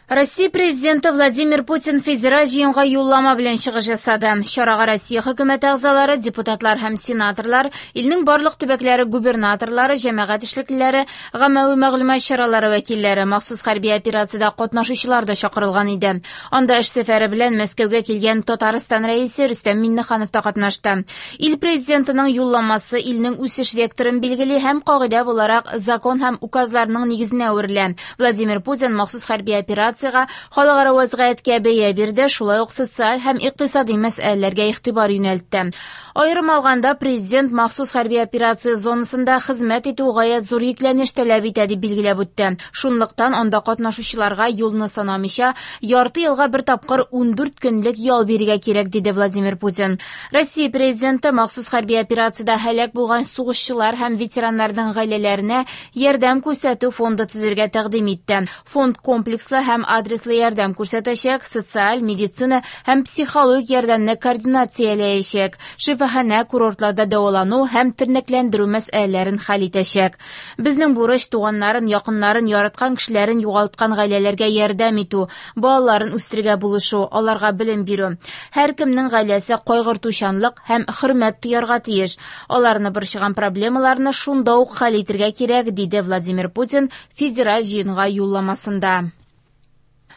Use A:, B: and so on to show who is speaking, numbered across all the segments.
A: Россия Президенты Владимир Путин федераль җыенга юллама белән чыгыш ясады. Чарага Россия хөкүмәте әгъзалары, депутатлар һәм сенаторлар, илнең барлык төбәкләре губернаторлары, җәмәгать эшлеклеләре, гаммәви мәгълүмат чаралары вәкилләре, махсус хәрби операциядә катнашучылар да чакырылган иде. Анда эш сәфәре белән Мәскәүгә килгән Татарстан Рәисе Рөстәм Миңнеханов та катнашты. Ил президентының юлламасы илнең үсеш векторын билгели һәм кагыйдә буларак закон һәм указларның нигезенә әверелә. Владимир Путин махсус хәрби операция халыкара вазгыятькә бәя бирде, шулай ук социаль һәм икътисади мәсьәләләргә игътибар юнәлтте. Аерым алганда, президент махсус хәрби операция зонасында хезмәт итү гаять зур йөкләнеш таләп итә дип билгеләп үтте. Шунлыктан анда катнашучыларга юлны санамыйча ярты елга бер тапкыр 14 көнлек ял бирергә кирәк, диде Владимир Путин. Россия президенты махсус хәрби операциядә һәлак булган сугышчылар һәм ветераннарның гаиләләренә ярдәм күрсәтү фонды төзергә тәкъдим итте. Фонд комплекслы һәм адреслы ярдәм күрсәтәчәк, социаль, медицина һәм психологик ярдәмне координацияләячәк, шифаханә, курортларда дәвалану һәм тернәкләндерү мәсьәләләрен хәл итәчәк. Безнең бурыч туганнарын, якыннарын, яраткан кешеләрен югалткан гаиләләргә ярдәм итү, балаларын үстерергә булышу, аларга белем бирү. Һәркемнең гаиләсе кайгыртучанлык һәм хөрмәт тоярга тиеш. Аларны борчыган проблемаларны шунда ук хәл итергә кирәк, диде Владимир Путин федераль җыенга юлламасында.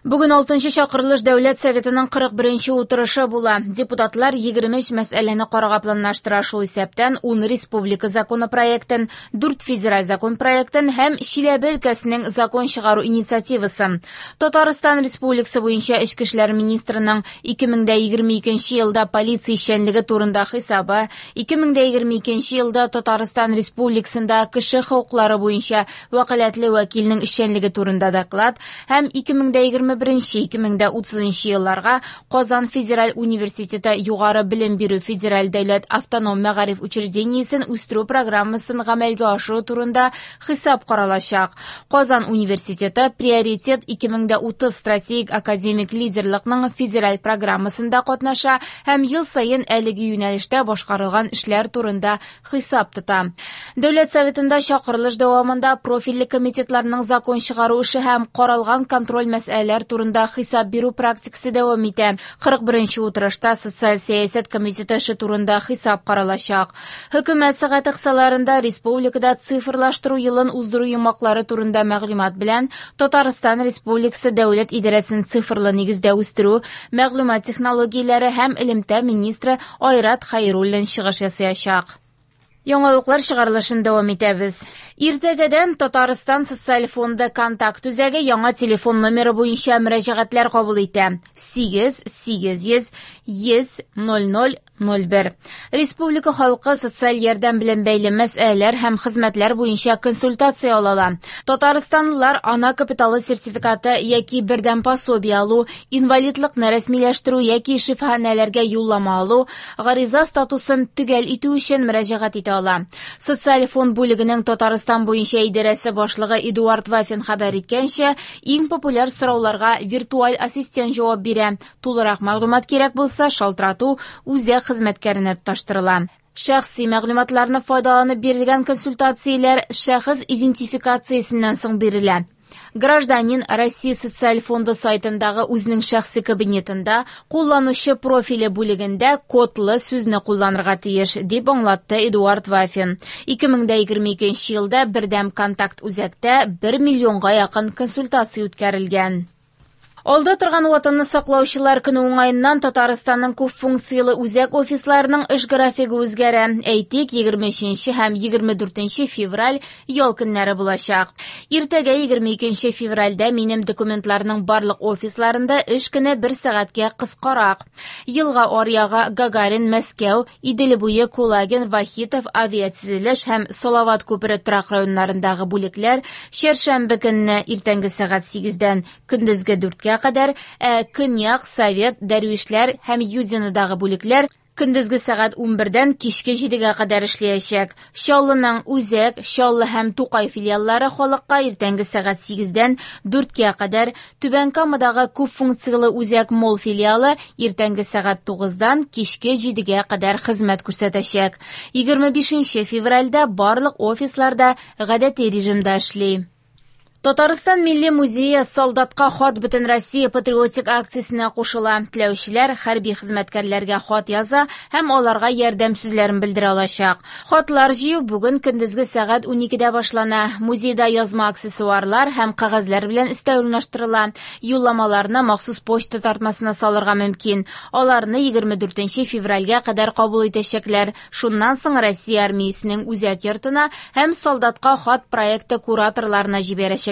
A: Бүген 6-нчы чакырылыш Дәүләт Советының 41-нче утырышы була. Депутатлар 23 мәсьәләне карарга планлаштыра, шул исәптән 10 республика законопроектын, 4 федераль закон проектын һәм Чиләбе өлкәсенең закон чыгару инициативасын. Татарстан Республикасы буенча Эчке эшләр министрының 2022 елда полиция эшчәнлеге турында хисабы, 2022 елда Татарстан Республикасында кеше хокуклары буенча вәкаләтле вәкилнең эшчәнлеге турында доклад һәм 2021-2030 елларга Казан федераль университеты югары белем бирү федераль дәүләт автоном мәгариф учреждениесен үстерү программасын гамәлгә ашыру турында хисап каралачак. Казан университеты Приоритет 2030 стратегик академик лидерлыкның федераль программасында катнаша һәм ел саен әлеге юнәлештә башкарылган эшләр турында хисап тота. Дәүләт Советында чакырылыш дәвамында профильле комитетларның закон чыгару эше һәм каралган контроль мәсьәләләр турында хисап бирү практикасы дәвам итә. 41-нче утырышта социаль сәясәт комитеты эше турында хисап каралачак. Хөкүмәт сәгате кысаларында республикада цифрлаштыру елын уздыру йомгаклары турында мәгълүмат белән Татарстан Республикасы Дәүләт идарәсен цифрлы нигездә үстерү, мәгълүмат технологияләре һәм элемтә министры Айрат Хәйруллин чыгыш ясаячак. Яңалыклар чыгарылышын дәвам итәбез. Иртәгәдән Татарстан Социаль фонды контакт үзәге яңа телефон номеры буенча мөрәҗәгатьләр кабул итә. 8 800 100 00 01. Республика халкы социаль ярдәм белән бәйле мәсьәләләр һәм хезмәтләр буенча консультация ала ала. Татарстанлылар ана капиталы сертификаты яки бердәм пособие алу, инвалидлыкны рәсмиләштерү яки шифаханәләргә юллама алу, гариза статусын төгәл итү өчен мөрәҗәгать итә ала. Социаль фонд бүлегенең Татарстан буенча идарәсе башлыгы Эдуард Вафин хәбәр иткәнчә, иң популяр сорауларга виртуаль ассистент җавап бирә. Тулырак мәгълүмат кирәк булса, шалтырату үзәк хезмәткәренә тоташтырыла. Шәхси мәгълүматларны файдаланып бирелгән консультацияләр шәхес идентификациясеннән соң бирелә. Гражданин Россия Социаль фонды сайтындагы үзенең шәхси кабинетында кулланучы профиле бүлегендә кодлы сүзне кулланырга тиеш, дип аңлатты Эдуард Вафин. 2022 елда бердәм контакт үзәктә 1 миллионга якын консультация үткәрелгән. Алда торган Ватанны саклаучылар көне уңаеннан Татарстанның күп функцияле үзәк офисларының эш графигы үзгәрә. Әйтик, 23 һәм 24 февраль ял көннәре булачак. Иртәгә 22 февральдә минем документларның барлык офисларында эш көне бер сәгатькә кыскарак. Елга аръягы Гагарин, Мәскәү, Идел буе, Кулагин, Вахитов, Авиатөзелеш һәм Салават күпере торак районнарындагы бүлекләр чәршәмбе көнне иртәнге сәгать 8-дән көндезге 4-кә кадәр, ә Көньяк, Совет, Дәрвишләр һәм Юдинодагы бүлекләр көндезге сәгать 11-дән кичке 7-гә кадәр эшләячәк. Чаллының Үзәк, Чаллы һәм Тукай филиаллары халыкка иртәнге сәгать 8-дән 4-кә кадәр, Түбән Камадагы күп функцияле Үзәк Молл филиалы иртәнге сәгать 9-дан кичке 7-гә кадәр хезмәт күрсәтәчәк. 25 февральдә барлык офисларда гадәти режимда эшли. Татарстан Милли музее «Солдатка хат» Бөтенроссия патриотик акциясенә кушыла. Теләүчеләр хәрби хезмәткәрләргә хат яза һәм аларга ярдәм сүзләрен белдерә алачак. Хатлар җыю бүген көндезге сәгать 12дә башлана. Музейда язма аксессуарлар һәм кәгазьләр белән өстәл урнаштырыла. Юлламаларны махсус почта тартмасына салырга мөмкин. Аларны 24 февральгә кадәр кабул итәчәкләр. Шуннан соң Россия армиясенең үзәк йортына һәм «Солдатка хат» проекты кураторларына җибәрәчәкләр.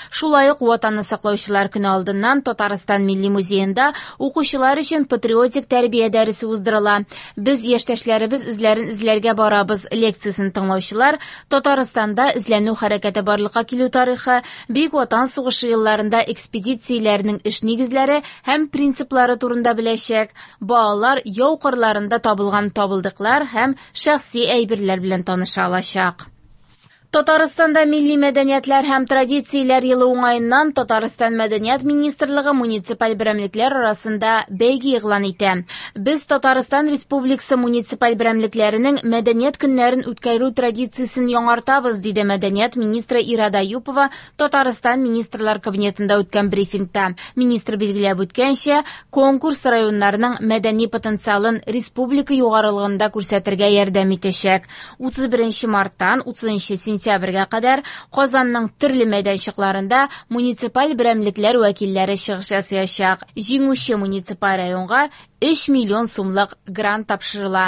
A: Шулай ук Ватанны саклаучылар көне алдыннан Татарстан Милли музеенда укучылар өчен патриотик тәрбия дәресе уздырыла. Без яшьтәшләребез эзләрен эзләргә барабыз лекциясен тыңлаучылар Татарстанда эзләнү хәрәкәте барлыкка килү тарихы, Бөек Ватан сугышы елларында экспедицияләрнең эш нигезләре һәм принциплары турында беләчәк. Балалар яу кырларында табылган табылдыклар һәм шәхси әйберләр белән таныша алачак. Татарстанда милли мәдәниятләр һәм традицияләр елы уңаеннан Татарстан Мәдәният министрлыгы муниципаль берәмлекләр арасында бәйге игълан итә. Без Татарстан Республикасы муниципаль берәмлекләренең мәдәният көннәрен үткәрү традициясен яңартабыз, диде мәдәният министры Ирада Юпова Татарстан Министрлар Кабинетында үткән брифингта. Министр билгеләп үткәнчә, конкурс районнарның мәдәни потенциалын республика югарылыгында күрсәтергә ярдәм итәчәк. 31 марттан 30 сентябрьгә кадәр Казанның төрле мәйданчыкларында муниципаль берәмлекләр вәкилләре чыгыш ясаячак. Җиңүче муниципаль районга 3 миллион сумлык грант тапшырыла.